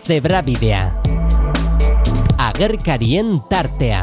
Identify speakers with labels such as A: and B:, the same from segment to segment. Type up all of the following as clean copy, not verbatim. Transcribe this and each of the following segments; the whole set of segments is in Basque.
A: Zebrabidea. Agerkarien tartea.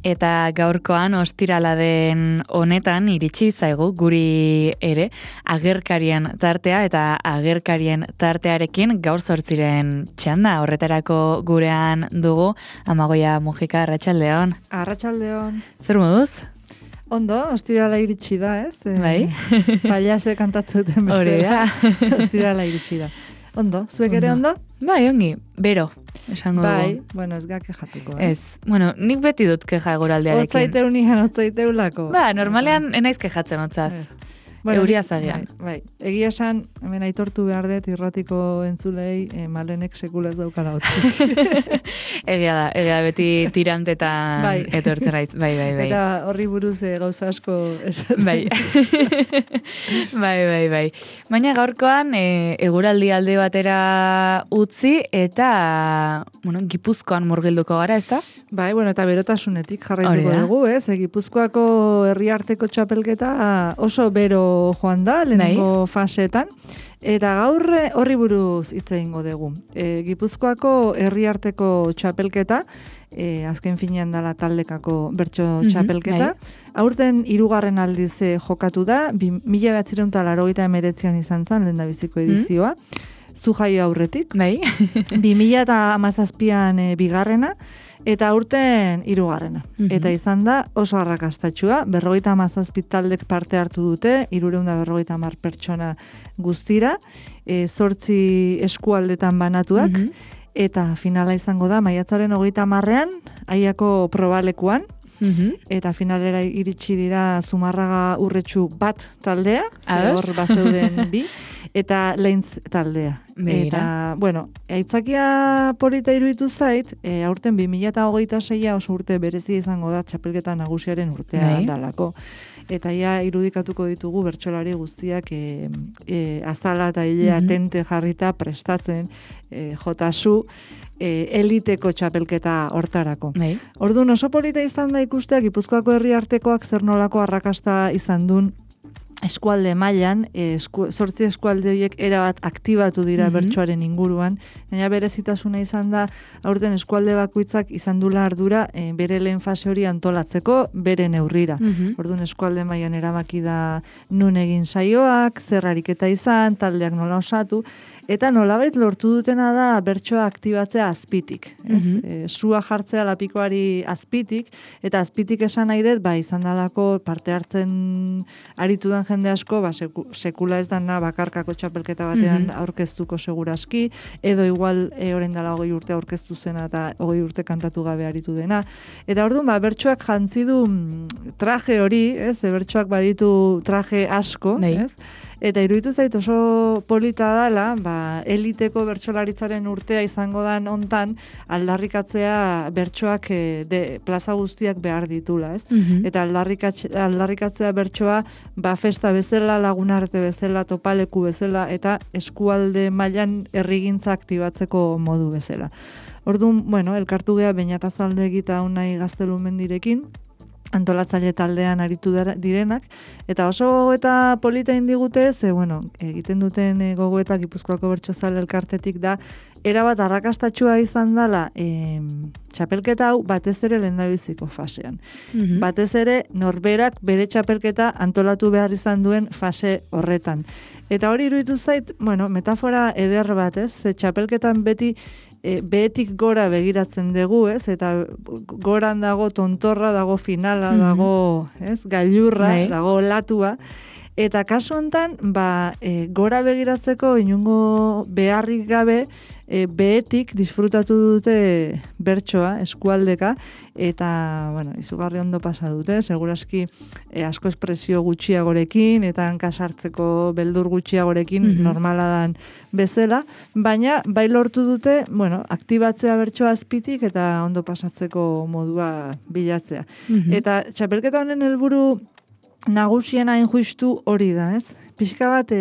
B: Eta gaurkoan ostirala den honetan iritsi zaigu guri ere agerkarien tartea eta agerkarien tartearekin gaur 8 txanda. Horretarako gurean dugu Amagoia Mujika, arratsaldeon.
C: Arratsaldeon.
B: Zer moduz?
C: Ondo, ostirala iritsi da, ez?
B: Bai.
C: Pailasek kantatzen duten bezala. Ostirala iritsi da. Ondo, zuek ere ondo?
B: Bai, ongi, bero. Esango
C: bai,
B: dugu.
C: bueno, ez ga kejatuko.
B: Ez, bueno, nik beti dut keja eguraldiarekin.
C: Otzaiteu nian, otzaiteulako.
B: Ba, normalean enaiz kejatzen otzaz.
C: Bueno,
B: euria zagian.
C: Bai. Egia esan, hemen aitortu behar dut irratiko entzulei, Malenek sekula ez daukala otzik.
B: Egia da, beti tirantetan
C: bai.
B: etortzen raiz. Bai.
C: Eta horri buruz gauza asko esaten.
B: Bai. Baina gaurkoan eguraldi alde batera utzi eta, bueno, Gipuzkoan murgilduko gara, ezta?
C: Bai, bueno, eta berotasunetik jarraituko dugu, ez? Gipuzkoako herriarteko txapelketa oso bero joan da, lehenengo faseetan. Eta gaur horri buruz hitz egingo dugu. Gipuzkoako herriarteko txapelketa, azken finean dala taldekako bertso txapelketa. Aurten 3. aldiz jokatu da, 1989an izan zen lehendabiziko edizioa. Zu jaio aurretik.
B: Bai.
C: 2017an bigarrena. Eta aurten 3. Eta izan da oso arrakastatxua, 57 taldek parte hartu dute, 350 pertsona guztira, 8 eskualdetan banatuak, eta finala izango da, maiatzaren 30ean, Aiako probalekuan, eta finalera iritsi dira Zumarraga Urretxu bat taldea, hor bazeuden bi, eta Leintz taldea. Eta, bueno, aitzakia polita iruditu zait, aurten 2026 oso urte berezia izango da txapelketa nagusiaren urtea dalako. Eta ja irudikatuko ditugu bertsolari guztiak azala eta hilea tente jarrita prestatzen jotasu eliteko txapelketa hortarako. Orduan oso polita izan da ikusteak Gipuzkoako herriartekoak zer nolako arrakasta izan duen eskualde mailan, 8 eskualde horiek erabat aktibatu dira bertsoaren inguruan, baina berezitasuna izan da aurten eskualde bakoitzak izan dula ardura bere lehen fase hori antolatzeko bere neurrira. Orduan eskualde mailan erabaki da nun egin saioak, zer ariketa izan, taldeak nola osatu, eta nolabait lortu dutena da bertsoa aktibatzea azpitik. Sua jartzea lapikoari azpitik, eta azpitik esan nahi dut, izan dalako parte hartzen aritudan jende asko, sekula ez dana bakarkako txapelketa batean aurkeztuko seguraski, edo igual orain dela 20 urte aurkeztu zena eta 20 urte kantatu gabe aritu dena. Eta orduan, bertsoak jantzi du traje hori, ez? Bertsoak baditu traje asko, ez? Eta iruditu zait oso polita dela, eliteko bertsolaritzaren urtea izango dan hontan aldarrikatzea bertsoak plaza guztiak behar ditula, ez? Eta aldarrikatzea bertsoa festa bezala, lagunarte bezala, topaleku bezala eta eskualde mailan herrigintza aktibatzeko modu bezala. Orduan, bueno, elkartu gea Beñatazalde egita unai Gaztelumendirekin, antolatzaile taldean aritu direnak, eta oso eta polita indigute, bueno, egiten duten gogoeta Gipuzkoako bertsozale elkartetik da, erabat arrakastatxua izan dela txapelketa hau batez ere lehendabiziko fasean. Batez ere norberak bere txapelketa antolatu behar izan duen fase horretan. Eta hori iruditu zait, bueno, metafora eder bat, ez? Txapelketan beti behetik gora begiratzen dugu, ez? Eta goran dago tontorra, dago finala, dago, ez? Gailurra, dago latua. Eta kasu hontan, gora begiratzeko inungo beharrik gabe, behetik disfrutatu dute bertsoa, eskualdeka, eta, bueno, izugarri ondo pasa dute, seguraski asko espresio gutxiagorekin, eta hankasartzeko beldur gutxiagorekin normala dan bezala, baina bai lortu dute, bueno, aktibatzea bertsoa azpitik eta ondo pasatzeko modua bilatzea. Eta txapelketa honen helburu nagusiena hain justu hori da, ez? Pixka bat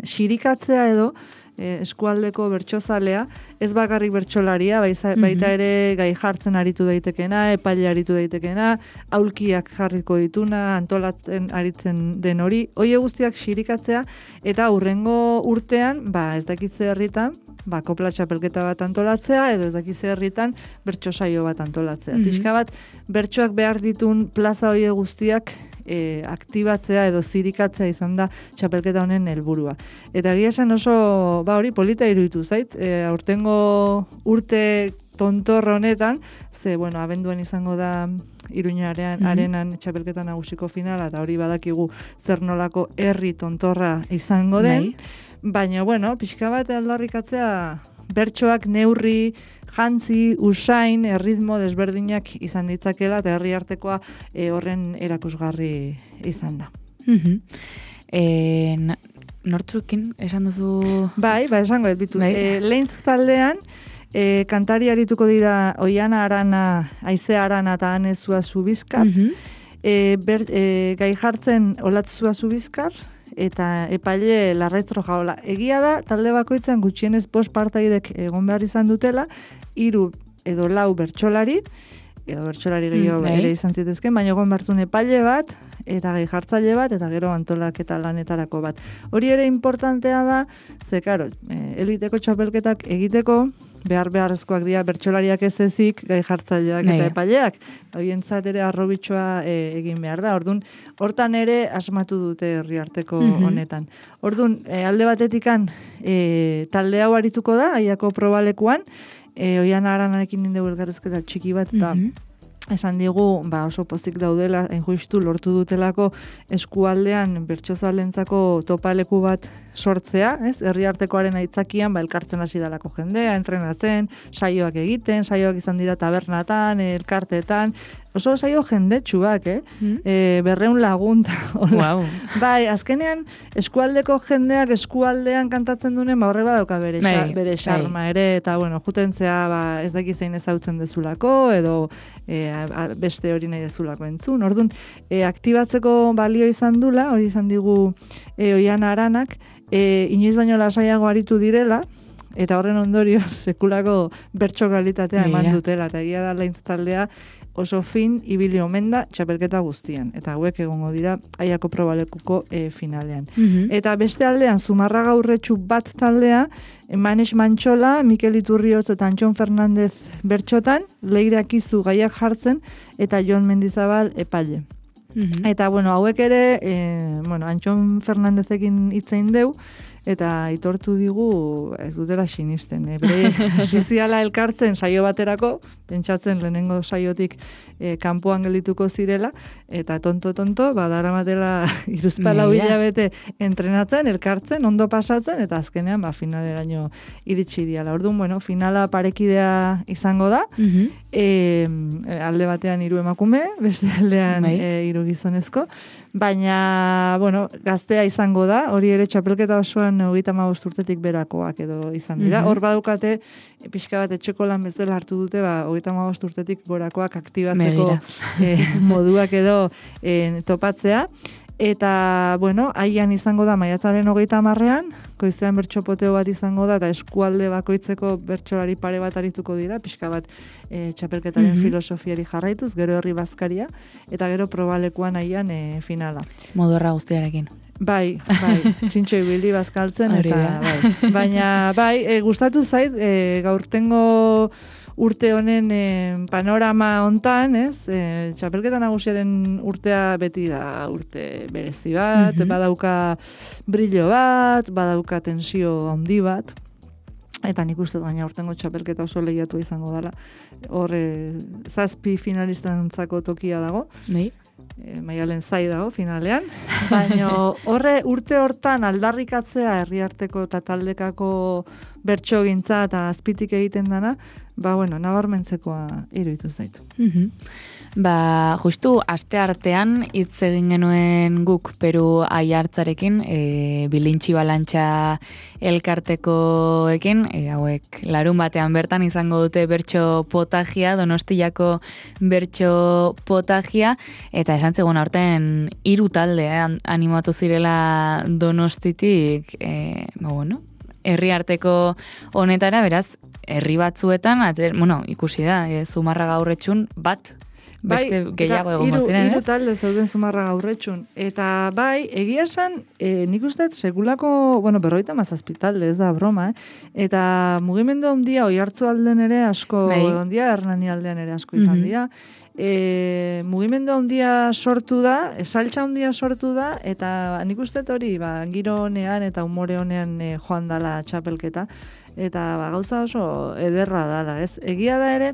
C: xirikatzea edo eskualdeko bertsozalea, ez bakarrik bertsolaria, baita ere gai jartzen aritu daitekena, epaile aritu daitekena, aulkiak jarriko dituna, antolatzen aritzen den hori, hoie guztiak xirikatzea, eta hurrengo urtean, ez dakitze herritan, kopla txapelketa bat antolatzea, edo ez dakitze herritan bertso saio bat antolatzea. Pixka bat, bertsoak behar ditun plaza hoie guztiak aktibatzea edo zirikatzea izan da txapelketa honen helburua. Eta egia esan oso, hori polita iruditu zait, aurtengo urte tontor honetan, abenduan izango da Iruñaren arenan txapelketa nagusiko finala, eta hori badakigu zer nolako herri tontorra izango den, baina, pixka bat aldarrikatzea bertsoak neurri, jantzi, usain, erritmo desberdinak izan ditzakela, eta herri artekoa horren erakusgarri izan da.
B: Nortzukin, esan duzu...
C: Esango dut bitu. Lehintz taldean, kantari arituko dira Oiana Arana, Aizea Arana eta Anezua Zubizkar, gai jartzen Olatzua Zubizkar, eta epaile Larraitz Rojaola. Egia da, talde bakoitzan gutxienez 5 partaidek egon behar izan dutela, 3 edo 4 bertsolari, edo bertsolari gehiago ere izan zitezken, baina egon bertzun epaile bat, eta gai jartzaile bat, eta gero antolaketa lanetarako bat. Hori ere importantea da, eliteko txapelketak egiteko, beharrezkoak dira bertsolariak ez ezik, gai jartzaileak eta epaileak. Horientzat ere arrobitxoa egin behar da. Orduan, hortan ere asmatu dute herri arteko honetan. Orduan, alde batetikan talde hau arituko da, Aiako probalekuan, Oiana Aranarekin nindegu elkarrezketa txiki bat, eta esan digu, oso pozik daudela, justu lortu dutelako eskualdean bertsozalentzako topaleku bat sortzea, herri artekoaren aitzakian, elkartzen hasi dalako jendea, entrenatzen, saioak egiten, saioak izan dira tabernatan, elkarteetan, oso saio jendetsuak, 200 lagun.
B: Wow.
C: Azkenean, eskualdeko jendeak eskualdean kantatzen duen, horre badauka bere xarma ere, eta, jutentzea ez daki zein ezautzen dezulako, edo beste hori nahi dezulako entzun. Orduan, aktibatzeko balio izan dula, hori izan digu Oiana Aranak, inoiz baino lasaiago aritu direla, eta horren ondorioz sekulako bertso kalitatea eman dutela, eta egia da Lehintz taldea oso fin ibili omen da txapelketa guztian, eta hauek egongo dira Aiako probalekuko finalean. Eta beste aldean, Zumarraga Urretxu bat taldea, Manes Mantxola, Mikel Iturrioz eta Antxon Fernandez bertxotan, Leire Akizu gaiak jartzen, eta Jon Mendizabal epaile. Eta, hauek ere, Antxon Fernandezekin hitzein deu, eta aitortu digu ez dutela sinisten. Ziziala elkartzen saio baterako, pentsatzen lehenengo saiotik kanpoan geldituko zirela, eta tonto, daramatela 3 hilabete entrenatzen, elkartzen, ondo pasatzen, eta azkenean finaleraino iritsi diala. Orduan, finala parekidea izango da, alde batean 3 emakume, beste aldean 3 gizonezko, baina, gaztea izango da, hori ere txapelketa osoan 35 urtetik berakoak edo izan dira. Hor badukate, pixka bat etxeko lan bezala hartu dute, 35 urtetik gorakoak aktibatzeko moduak edo topatzea. Eta, haian izango da maiatzaren 30ean, goizean bertxopoteo bat izango da, eta eskualde bakoitzeko bertsolari pare bat arituko dira, pixka bat txapelketaren filosofiari jarraituz, gero herri bazkaria, eta gero probalekuan haian finala.
B: Modorra guztiarekin.
C: Bai, txintxo ibili bazkaltzen, eta baina, gustatu zait, gaurtengo urte honen panorama hontan, txapelketa nagusiaren urtea beti da urte berezi bat, badauka brillo bat, badauka tensio handi bat, eta nik uste baina urtengo txapelketa oso lehiatu izango dela. Hor 7 finalistantzako tokia dago. Maialen zai dago finalean, baina urte hortan aldarrikatzea herri arteko eta taldekako bertsogintza eta azpitik egiten dana, nabarmentzekoa iruditu zaitu.
B: Justu aste artean hitz egin genuen guk Peru Aiartzarekin, bilintxi balantxa elkartekoekin, hauek larun batean bertan izango dute bertso potagia, Donostiako bertso potagia, eta esan zegoen aurten 3 talde animatu zirela Donostitik, herriarteko honetara, beraz, herri batzuetan, ikusi da, Zumarraga Aurretxun bat, beste gehiago egongo ziren,
C: Hiru talde zeuden Zumarraga Aurretxun. Eta bai, egia esan, nik uste sekulako, 57 talde, ez da broma, Eta mugimendu handia Oiartzu aldean ere asko, handia Hernani aldean ere asko izan dira. Mugimendu handia sortu da, saltza handia sortu da, eta nik uste hori, giro honean eta umore honean joan dala txapelketa. Eta gauza oso ederra dala, ez? Egia da ere,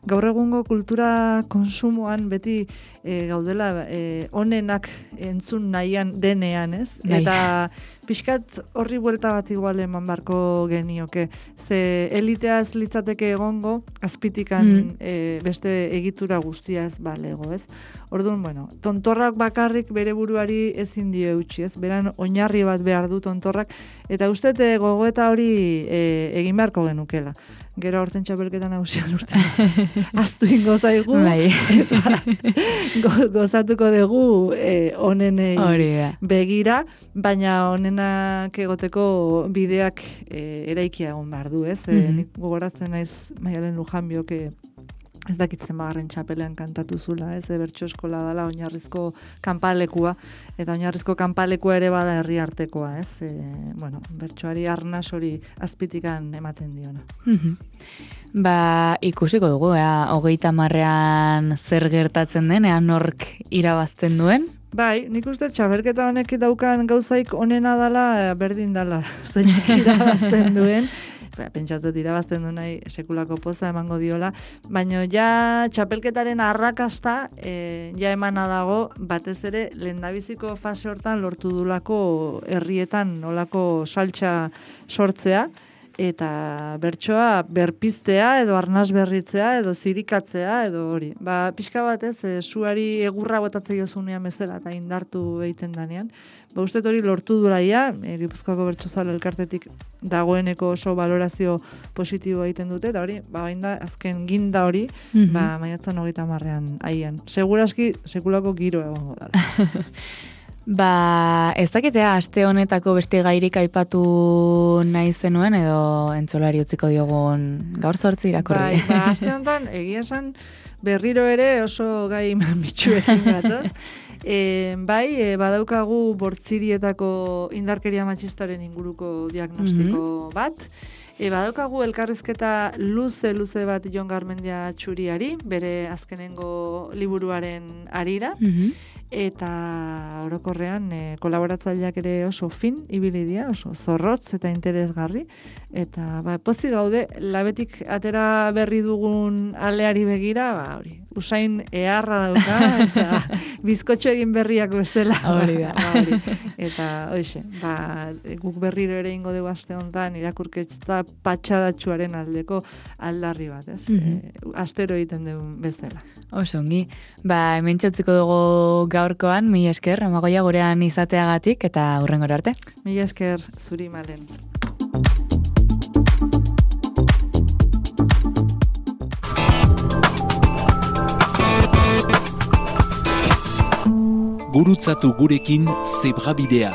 C: gaur egungo kultura konsumoan beti gaudela onenak entzun nahian denean, ez? Eta pixkat horri buelta bat igual eman barko genioke. Ze elitea ez litzateke egongo, azpitikan beste egitura guztia ez balego, ez? Orduan, tontorrak bakarrik bere buruari ezin dio eutxi, ez? Beran oinarri bat behar du tontorrak, eta uste gogoeta hori egin beharko genukela. Gero horten txapelketan nagusian urtean. Aztu ingo zaigu. Eta gozatuko dugu onenei begira, baina onenak egoteko bideak eraikia egon behar du, ez? Nik gogoratzen naiz Maialen Lujanbiok ez dakitzen bagarren txapelean kantatu zula, ez? Bertso eskola dala oinarrizko kanpalekua, eta oinarrizko kanpalekua ere bada herri artekoa, ez? Bertsoari arnas hori azpitikan ematen diona.
B: Ikusiko dugu, 30ean zer gertatzen den, nork irabazten duen?
C: Bai, nik uste txapelketa honek daukan gauzaik onena dala, berdin dala, zeinak irabazten duen. Pentsatzen irabazten du nahi sekulako poza emango diola, baina ja txapelketaren arrakasta ja emana dago, batez ere lehendabiziko fase hortan lortu dulako herrietan nolako saltza sortzea, eta bertsoa berpiztea edo arnas berritzea edo zirikatzea edo hori. Pixka bat suari egurra botatzea jozunean bezala eta indartu egiten danean. Uste hori lortu duraia, Gipuzkoako Bertsozale Elkartetik dagoeneko oso valorazio positibo egiten dute, eta hori, da, azken ginda hori, maiatzan 30ean aian. Seguraski, sekulako giro egongo dala.
B: Ez dakitea, aste honetako beste gairik aipatu nahi zenuen, edo entzolari utziko diogun gaur 8 irakurri.
C: Aste honetan, egia esan, berriro ere oso gai mitxuekin gatoz. Badaukagu Bortzirietako indarkeria matxistaren inguruko diagnostiko bat. Badaukagu elkarrizketa luze bat Jon Garmendia Txuriari, bere azkenengo liburuaren arira. Eta orokorrean kolaboratzaileak ere oso fin ibili dira, oso zorrotz eta interesgarri, eta pozik gaude labetik atera berri dugun aleari begira, hori, usain eharra dauka eta bizkotxo egin berriak bezala.
B: Hori da.
C: Eta hoxe, guk berriro ere ingo dugu aste honetan irakurketa patxadatxuaren aldeko aldarri bat, ez? Astero egiten dugun bezala.
B: Oso ongi. Hemen txotziko dugu gaurkoan, mila esker, Amagoia gurean izateagatik, eta hurrengora arte.
C: Mila esker, zuri Malen.
D: Gurutzatu gurekin Zebrabidea.